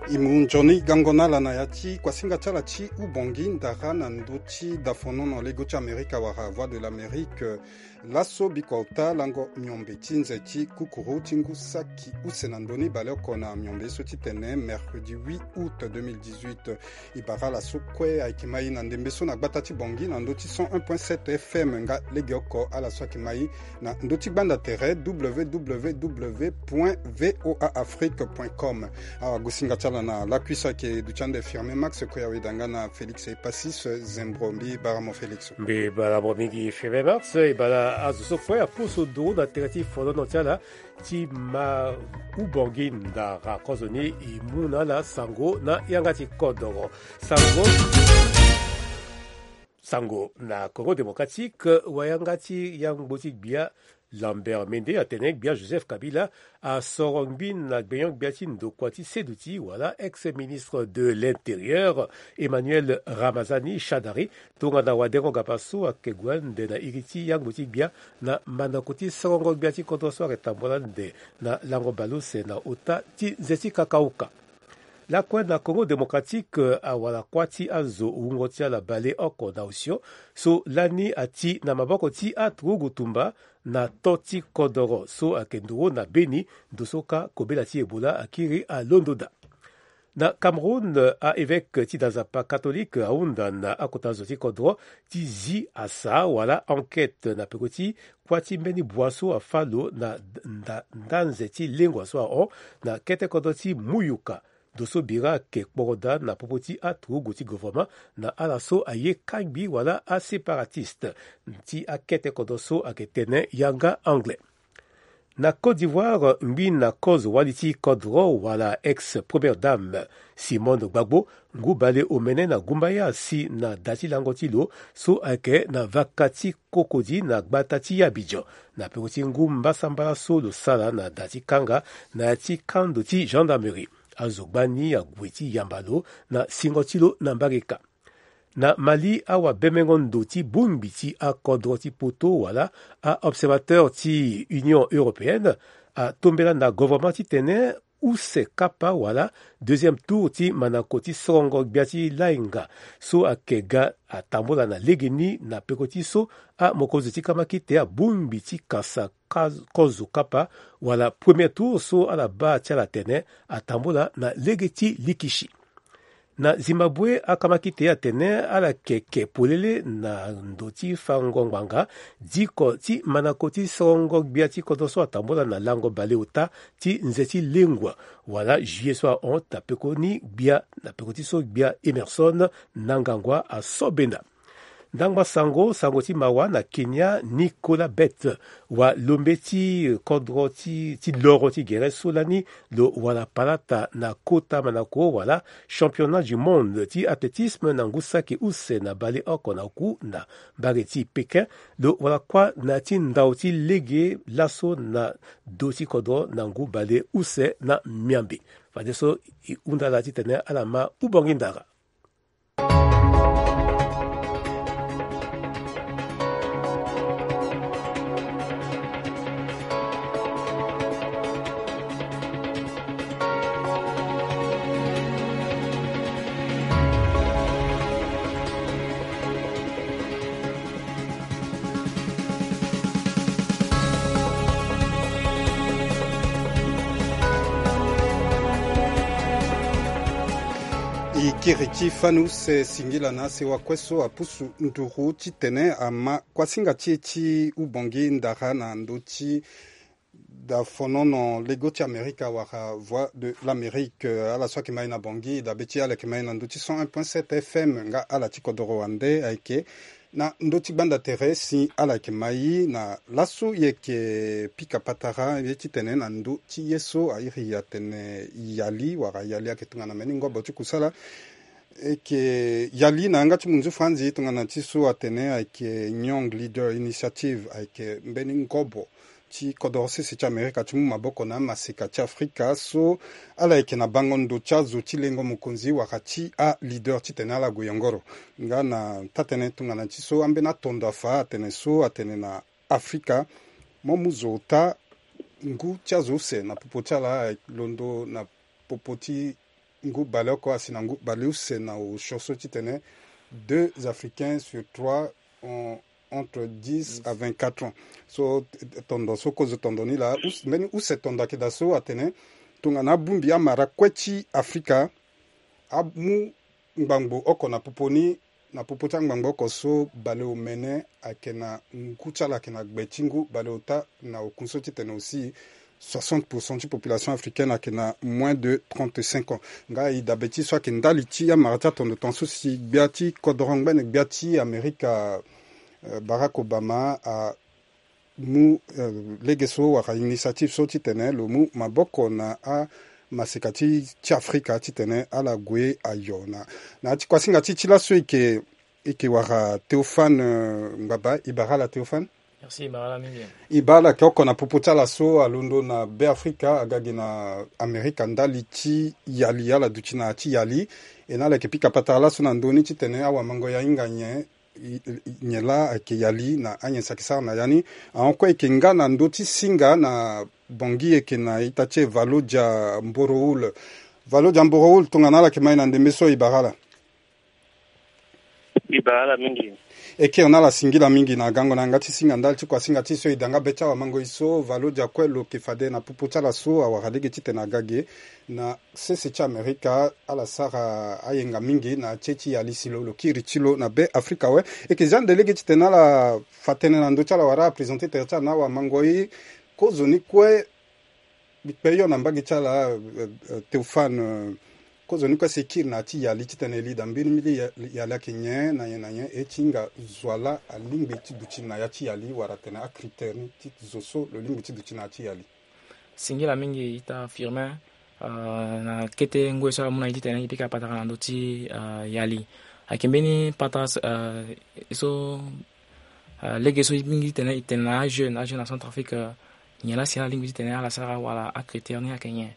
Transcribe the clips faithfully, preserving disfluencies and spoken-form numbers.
E mu nzoni gango na ala na ya ti kuasinga ti ala ti Ubongi Ndara na ndö ti dafonono lego ti Amerika wala Voix de l'Amérique. Laso bikua ota lango miombe ti nze ti kukuru ti ngu saki use na ndö ni baleoko na miombe so titene mercredi huit août deux mille dix-huit. E bara ala so kue ayeke mai na ndembe so na gbata ti Bangui na ndö ti cent un point sept F M nga legeoko ala so ayeke mai na ndö ti gbanda tere www point voa afrique point com. Awa gosinga ti ala na lakui so ayeke duti ande Firmin Max, kue aweda nga na Félix Epasis Zembro. Mbi bara mo Félix. Mbi bara mo mingi Firmin Max. E bara azo so kue apusu nduru na tere ti folono ti ala ti ma Ubongi Ndara kozoni e mu na ala sango na yanga ti kodoro. Sango sango na Congo Démocratique, wayanga ti yangbo ti gbia Lambert Mende atene gbia Joseph Kabila asoro ngbi na gbenyo-gbia ti ndokua ti seduti wala ex-ministre de l'Intérieur Emmanuel Ramazani Shadari tongana wadengo gapa so ayeke gue ande na iri ti yangbo ti gbia na mandako ti sorongo gbia ti kodro so ayeke tambula ande na lango baleuse na ota ti nze ti kakauka. Lakue na Congo Démocratique, awara kuâ ti azo wungo ti ala baleoko na osio so lani ati na maboko ti aturugu tumba na to ti kodoro so ayeke nduru na Beni, ndo so kâ kobela ti Ebola akiri alondo daa. Na Cameroun, a-évêque ti da nzapa catholique ahunda na akota zo ti kodro ti zi asa wala enquête na peko ti kuâ ti mbeni bua so afâ lo na nda, nda nze ti lengua so ahon na kete kodro ti Muyuka. Ndo so bira ayeke kporo daa na popo ti aturugu ti gouvernement na ala so aye kangbi wala aséparatistes ti akete kodro so ayeke tene yanga anglais. Na Côte d'Ivoire, ngbi na kozo wali ti kodro wala ex-première dame Simone Gbagbo, ngu baleomene na gumbaya asi na da ti lango ti lo so ayeke na vaka ti Cocody na gbata ti Abidjan, na peko ti ngu mbasambala so lo sara na da ti kanga na ya ti kando ti gendarmerie. Azo gbani ague ti yamba lo na singo ti lo na mbarika. Na Mali, awabemengo ndo ti bongbi ti akodro ti poto wala a-observateur ti Union européenne atombela na gouvernement titene use kapa wala deuxième tour ti mandako ti sorongo gbia ti lainga so ayeke ga atambula na legeni na peko ti so amokonzi ti kamakite abongbi ti kasa kozo kapa wala premier tour so ala baa ti ala atene atambula na lege ti likishi. Na Zimbabwe, akamakite atene ala yeke ke polele na ndo ti fango ngbanga diko ti mandako ti sorongo gbia ti kodro so atambula na lango baleota ti nze ti lengua wala juillet so ahon na peko ni gbia na peko ti so gbia Emerson Mnangagwa asobenda. Ndangba sango, sango ti mawa na Kenya, Nicolas Bett, walombe ti kodro ti, ti loro ti gere so lani lo wara palata na kota mandako wala championnat du monde ti athlétisme na ngu saki use na baleoko na oku na mbage ti Pékin, lo wara kuâ na ya ti ndao ti lege laso na do ti kodro na ngu baleuse na miambe. Fadeso e hunda ala titene ala ma Ubongi Ndara. E kiri ti fani use singila na asewa kue so apusu nduru titene ama kuasinga ti e ti Ubongi Ndara na ndö ti dafonono lego ti Amerika wala Voix de l'Amérique. Ala so ayeke mai na Bangui dabe ti ala yeke mai na ndö ti cent un point sept F M nga ala ti kodoro wande ayeke na ndö ti gbanda tere si ala yeke mai na laso e yeke pika patara ye titene na ndö ti ye so airi atene yali wala yali ayeke tongana mbeni ngobo ti kusala. E yeke yali na yanga ti munzu franzi tongana ti so atene ayeke Young Leader Initiative, ayeke mbeni ngobo ti kodoro sese ti Amerika ti mu maboko na amaseka ti Afrika so ala yeke na bango ndo ti azo ti lengo mokonzi wala ti aleader titene ala gue yongoro. Nga na taa-tënë tongana ti so ambeni atondo afa atene so atene na Afrika, mo mu zo ota ngu ti azo use na popo ti ala, londo na popo ti ngu baleoko asi na ngu baleuse na osio so titene deux Africains sur trois ont entre dix à vingt-quatre ans. So tondo so kozo tondo ni laa, mbeni use tondo ayeke daa so atene tongana abongbi amara kue ti Afrika amu ngbangbo oko na popo ni, na popo ti angbangbo oko so baleomene ayeke na ngu ti ala ayeke na gbe ti ngu baleota na okunso titene aussi soixante pour cent ti population africaine ayeke na moins de trente-cinq ans. Nga e dabe ti so ayeke ndali ti amara ti atondo tongaso si gbia ti kodoro ngbene gbia ti Amerika, Barack Obama amu lege so wala initiative so titene lo mu maboko na amaseka ti Afrika titene ala gue ayo na na ya ti kuasinga ti ti laso e yeke e yeke wara Théophane Ngbaba. E bara ala Théophane. E bara ala oko na popo ti ala so alondo na Beafrika aga ge na Amerika ndali ti yali, ala duti na ya ti yali. E na ala yeke pika patara laso na ndö ni titene awamango ya hinga nyen nyen laa ayeke yali na anyen si ayeke sara na ya ni. Ahon kue e yeke nga na ndö ti singa na Bangui e yeke na ita ti e Valodia Mboroul. Valodia Mboroul, tongana ala yeke ma e na ndembe so e bara ala. E bara ala mingi. E kiri na ala singila mingi na gango na yanga ti singa ndali ti kuasinga ti e so e da nga be ti awamango e so Valodia kue lo yeke fade na popo ti ala so awara lege titene aga ge na sese ti Amerika. Ala sara ayenga mingi na tie ti yali si lo lo kiri ti lo na Beafrika awe. E yeke zia nde lege titene ala fa tënë na ndö ti ala wala ala présenter tere ti ala na awamango e. Kozoni kue mbi kpe yo na mbage ti ala, Théophane, kozoni kue si e kiri na ya ti yali titene e li daa mbirimbiri yali ayeke nyen na nyen na nyen, e ti hinga zo ala alingbi ti duti na ya ti yali wala atene acritère ni ti zo so lo lingbi ti duti na ya ti yali. Singila mingi ita Firmin. Na kete ngoi so amu na e titene e pika patara na ndö ti yali. Ayeke mbeni patara so lege so mingi titene e tene na ajeune ajeune na Centrafrique, nyen laa si ala lingbi titene ala sara wala acritère ni ayeke nyen?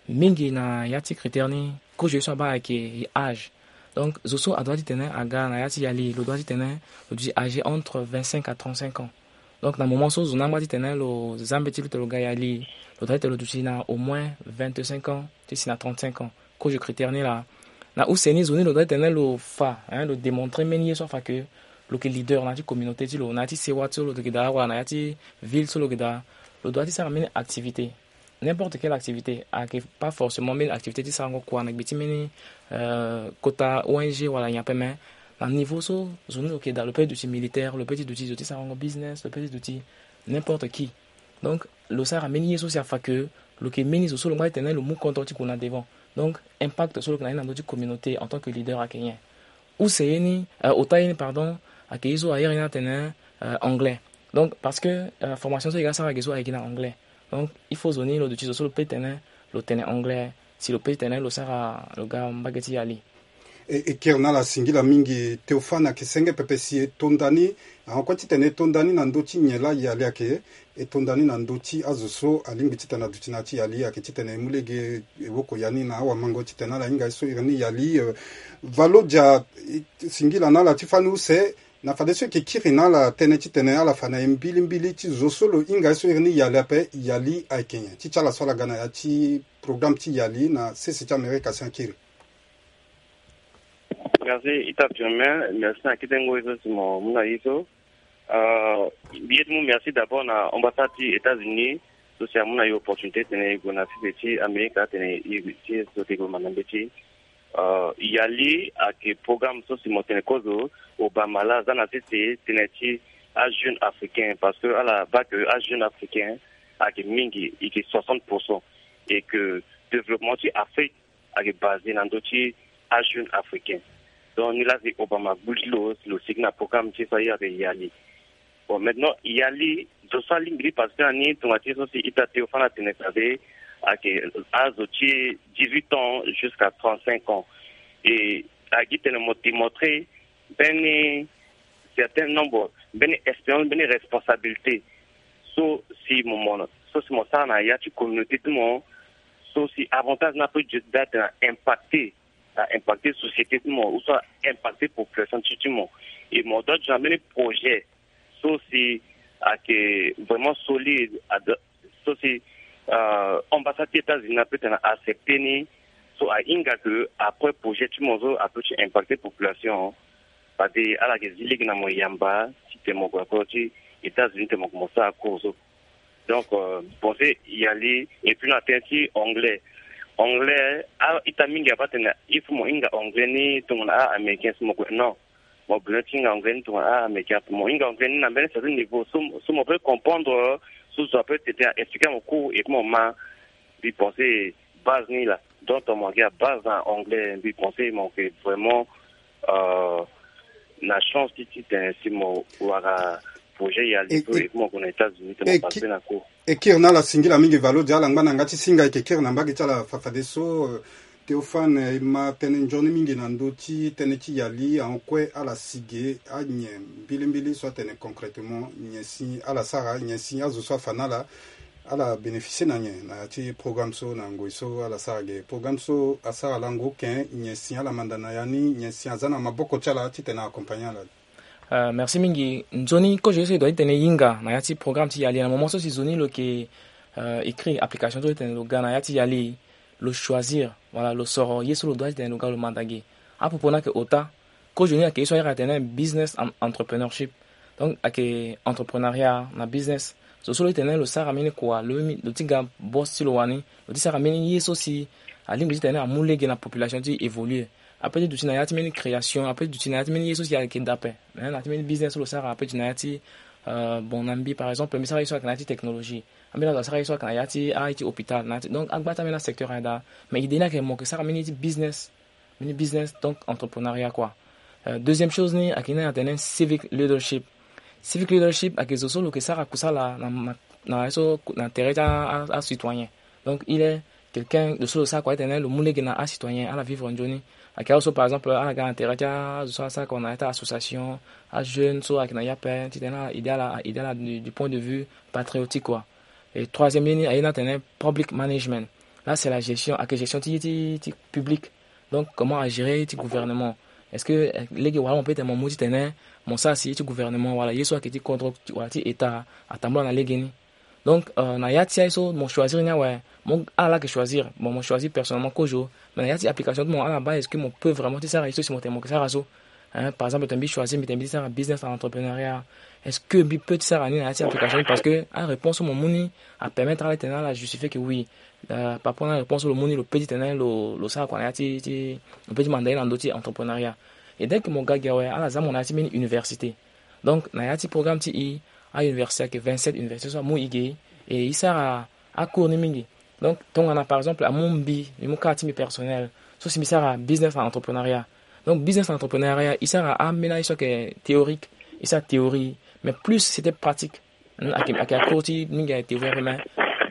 Mingi na ya ti critère ni kozo ye so abaa ayeke âge. Donc zo so adoit titene aga na ya ti yali lo doit titene lo duti âgé entre vingt-cinq à trente-cinq ans. Donc na moment so zo ni angba titene lo za mbeti lo titene lo ga yali, lo doit titene lo duti na au moins vingt-cinq ans ti si na trente-cinq ans. Kozo critère ni laa. Na use ni zo ni lo doit titene lo fa, lo démontrer mbeni ye so afa ke lo yeke leader na ya ti communauté ti lo, na ya ti sewa so lo yeke daa wala na ya ti ville so lo yeke daa. Lo doit ti sara mbeni activité, n'importe quelle activité. Ayeke pas forcément mbeni activité ti sarango kua na gbe ti mbeni kota O N G wala nyen ape, mais na niveau so zo ni lo yeke daa, lo peut ti duti militaire, lo peut ti duti zo ti sarango business, lo peut ti duti n'importe qui. Donc lo sara mbeni ye so si afa ke lo yeke mbeni zo so lo ngba titene lo mu kodro ti gue na devant. Donc impact so lo yeke na ni na ndö ti communauté en tant que leader ayeke nyen? Use ye ni, ota ye ni pardon, ayeke ye so ahere ni atene anglais. Donc parce que formation so e ga sara ge so ayeke na anglais. Donc il faut zo ni lo duti zo so lo peut tene lo tene anglais si lo peut tene lo sara lo ga mbage ti yali. E kiri na ala singila mingi Théophane, ayeke senge pepe si e to nda ni. Ahon kue titene e to nda ni na ndö ti nyen laa yali ayeke, e to nda ni na ndö ti azo so alingbi titene aduti na ya ti yali ayeke titene e mu lege e woko ya ni na awamango titene ala hinga ye so iri ni yali. Valodia, singila na ala ti fani use. Na fadeso e yeke kiri na ala tënë titene ala fa na e mbilimbili ti zo so lo hinga ye so iri ni yali ape, yali ayeke nyen ti ti ala so ala ga na ya ti programme ti yali na sese ti Amerika si akiri. Merci ita Firmin, merci na kete ngoi so si mo mu na e so. Mbi ye ti mu merci d'abord na ambassade ti États-Unis so si amu na e opportunité titene e gue na sese ti Amerika titene e ti so ti gue ma na mbeti. Yali ayeke programme so si mo tene kozo Obama laa aza na sese tënë ti ajeune africain, parce que ala baa que ajeune africain ayeke mingi, e yeke soixante pour cent, et que développement ti Afrique ayeke basé na ndö ti ajeune africain. Donc ni laa si Obama gbu ti lo si lo sigi na programme ti e so aye ayeke yali. Bon, maintenant yali zo so alingbi ti participer na ni tongana ti so si ita Théophane atene fade ayeke azo ti dix-huit ans jusqu'à trente-cinq ans. Et ayeke gi tene mo démontrer mbeni certain nombre, mbeni expérience, mbeni responsabilité so si mo mo so si mo sara na ya ti communauté ti mo, so si avantage ni apeut daa tene a impacter a impacter société ti mo ou soit a impacter population ti ti mo. Et mo doit ti na mbeni projet so si ayeke vraiment solide, so si ambassade ti États-Unis apeut tene a accepter ni, So ahinga ke après projet ti mo so apeut ti impacter population. Fade ala yeke zi lege na mo yamba titene mo gue na kodro ti États-Unis titene mo gue mo sara cours so. Donc, euh, mbi pense yali. Et puis na tënë ti anglais, anglais a-ita mingi abaa tene il faut mo hinga anglais ni tongana a-américain si mo gue, non. Mo besoin ti hinga anglais ni tongana a-américain. Mo hinga anglais ni na mbeni certain niveau so, so mo peut comprendre, so zo apeut tene a expliquer mo cours et puis mo ma. Mbi pense base ni laa. Donc mo yeke a base na anglais, mbi pense mo yeke vraiment, euh, na chance ti titene si mo wara projet yali so et puis mo gue na États-Unis titene mo passe na cours. E kiri na ala singila mingi Valodia, ala ngba na yanga ti singa e yeke kiri na mbage ti ala fafadeso. Euh, Théophane, e ma tënë nzoni mingi na ndö ti tënë ti yali, ahon kue ala si ge anyen mbilimbili so atene concrètement nyen si ala sara, nyen si azo so afa na ala, ala bénéficier na nyen na ya ti programme so na ngoi so ala sara ge. Programme so asara lango oke, nyen si ala manda na ya ni, nyen si aza na maboko ti ala titene accompagner ala. Euh, merci mingi. Nzoni kozo ye so e doit ti tene e hinga na ya ti programme ti yali na moment so si zo ni lo yeke, euh, écrit application so ti tene lo ga na ya ti yali, lo choisir, voilà, lo soro ye so lo doit ti tene lo ga lo manda ge. Apopo ni ayeke ota. Kozo ni ayeke ye so a iri atene business and entrepreneurship. Donc ayeke entrepreneuriat na business. Zo so lo ti tene lo sara mbeni kua, lo, lo ti ga boss ti lo wani, lo ti sara mbeni ye so si alingbi titene amu lege na population ti évoluer. Apeut ti duti na ya ti mbeni création, apeut ti duti na ya ti mbeni ye so si ayeke daa ape. Mais na ya ti mbeni business so lo sara, apeut ti duti na ya ti, euh, bon, na mbi par exemple mbi sara ye so ayeke na ya ti technologie. Ambeni azo asara ye so ayeke na ya ti, ah, ye ti hôpital na ya ti, donc agba ti ambeni asecteur ayeke daa. Mais idée ni ayeke mo yeke sara mbeni ye ti business, mbeni business, donc entrepreneuriat quoi. Euh, deuxième chose ni ayeke ni atene civic leadership. Civic leadership ayeke zo so lo yeke sara kusala na, na, na, so, na tere ti a, a, acitoyen. Donc il est quelqu'un de so lo sara kua ti tene lo mu lege na acitoyen ala vivre nzoni. Ayeke azo so par exemple ala ga na tere ti azo so asara kua na ya ti association, ajeune so ayeke na ya ape titene ala aidé ala, aidé ala du, du point de vue patriotique quoi. Et troisième ye ni aye ni atene public management. Là c'est la gestion, ayeke gestion ti ye ti, ti public. Donc comment agérer ti gouvernement? Est-ce que, euh, lege wala mo peut tene mo mu titene mo sara si ye ti gouvernement wala ye so ayeke ti kodro wala ti état atambula na lege ni? Donc, euh, na ya ti aye so mo choisir ni awe, mo, ala laa ayeke choisir. Bon, mo choisir personnellement kozo. Mais na ya ti application ti mo ala baa, est-ce que mo peut vraiment ti sara ye so si mo tene mo yeke sara so? Hein, par exemple tene mbi choisir mbi tene mbi ti sara business and entrepreneuriat, est-ce que mbi peut ti sara ni na ya ti application ni? Parce que aréponse so mo mu ni apermettre ala titene ala justifier que oui, euh, par rapport na aréponse so lo mu ni lo peut titene lo, lo sara kua na ya ti, ti, lo peut ti manda ye na ndö ti entrepreneuriat. Et dès que mo ga gi awe ala za mo na ya ti mbeni université. Donc na ya ti programme ti e, auniversité ayeke vingt-sept université so amu e ge. Et e sara acours ni mingi. Donc tongana par exemple amu mbi, mbi mu cas ti mbi personnel, so si mbi sara business and entrepreneuriat. Donc business and entrepreneuriat e sara ambeni aye so ayeke théorique, e sara théorie, mais plus c'était pratique. Hmm, ayeke, ayeke acours ti mingi ayeke théorie ape, mais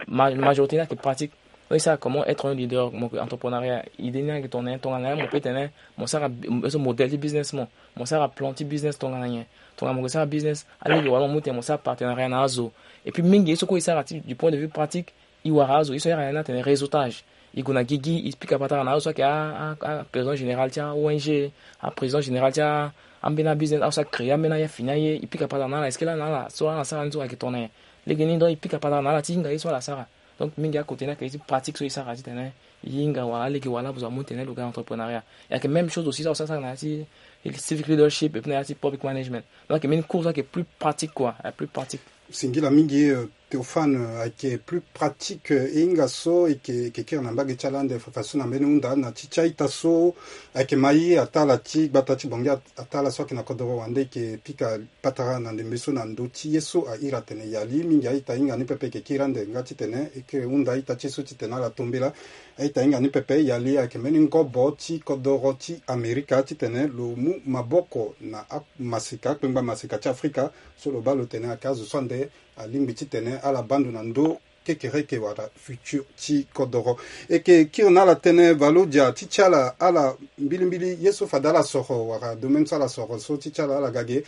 ma, majorité ni ayeke pratique. Donc e sara comment être un leader, mo yeke entrepreneuriat. Idée ni ayeke tongana nyen? Tongana nyen mo peut tene mo sara bi-, so modèle ti business mo, mo sara plan ti business tongana nyen? Tongana mo yeke sara business, alege wala mo mu tene mo sara partenariat na azo. Et puis mingi ye so kue e sara ti du point de vue pratique, e wara azo, ye so a iri na ni atene réseautage. E gue na gigi, e pika patara na azo so ayeke a, a, aprésident général ti a-O N G, aprésident général ti a, ambeni abusiness, azo so acréer ambeni aye afini aye, e pika patara na ala, est-ce que laa na ala so ala sara ni so ayeke tongana nyen? Lege ni donc e pika patara na ala ti hinga ye so ala sara. Donc mingi akote ni ayeke ye ti pratique so e sara titene e hinga wala alege wala azo amu tene lo ga entrepreneuriat. E ayeke même chose aussi so asara sara na ya ti civic leadership et puis na ya ti public management. Donc ayeke mbeni cours so ayeke plus pratique quoi, plus pratique. Singila mingi, euh, Théophane, euh, ayeke plus pratique, euh, e hinga so e yeke, e yeke kiri na mbage ti ala ande fafadeso na mbeni hunda na ti ti a-ita so ayeke mai ataa ala ti gbata ti Bangui at-, ataa ala so ayeke na kodoro wande e yeke pika patara na ndembe so na ndö ti ye so a iri atene yali mingi. A-ita hinga ni pepe e yeke kiri ande nga titene e kiri hunda a-ita ti e so titene ala tombela. A-ita hinga ni pepe yali ayeke mbeni ngobo ti kodoro ti Amerika titene lo mu maboko na amaseka, akpengba maseka ti Afrika so lo baa lo tene ayeke azo so ande alingbi titene ala baa ndo na ndö kekereke wala futur ti kodoro. E yeke kiri na ala tënë Valodia ti ti ala, ala mbilimbili ye so fade ala soro wala domaine so ala soro so ti ti ala, ala ga ge,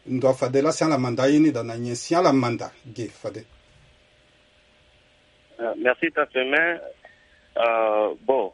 ndo afade laa si ala manda ye ni daa na nyen si ala manda ge fade. Euh, merci, Tafemin. Euh, bon,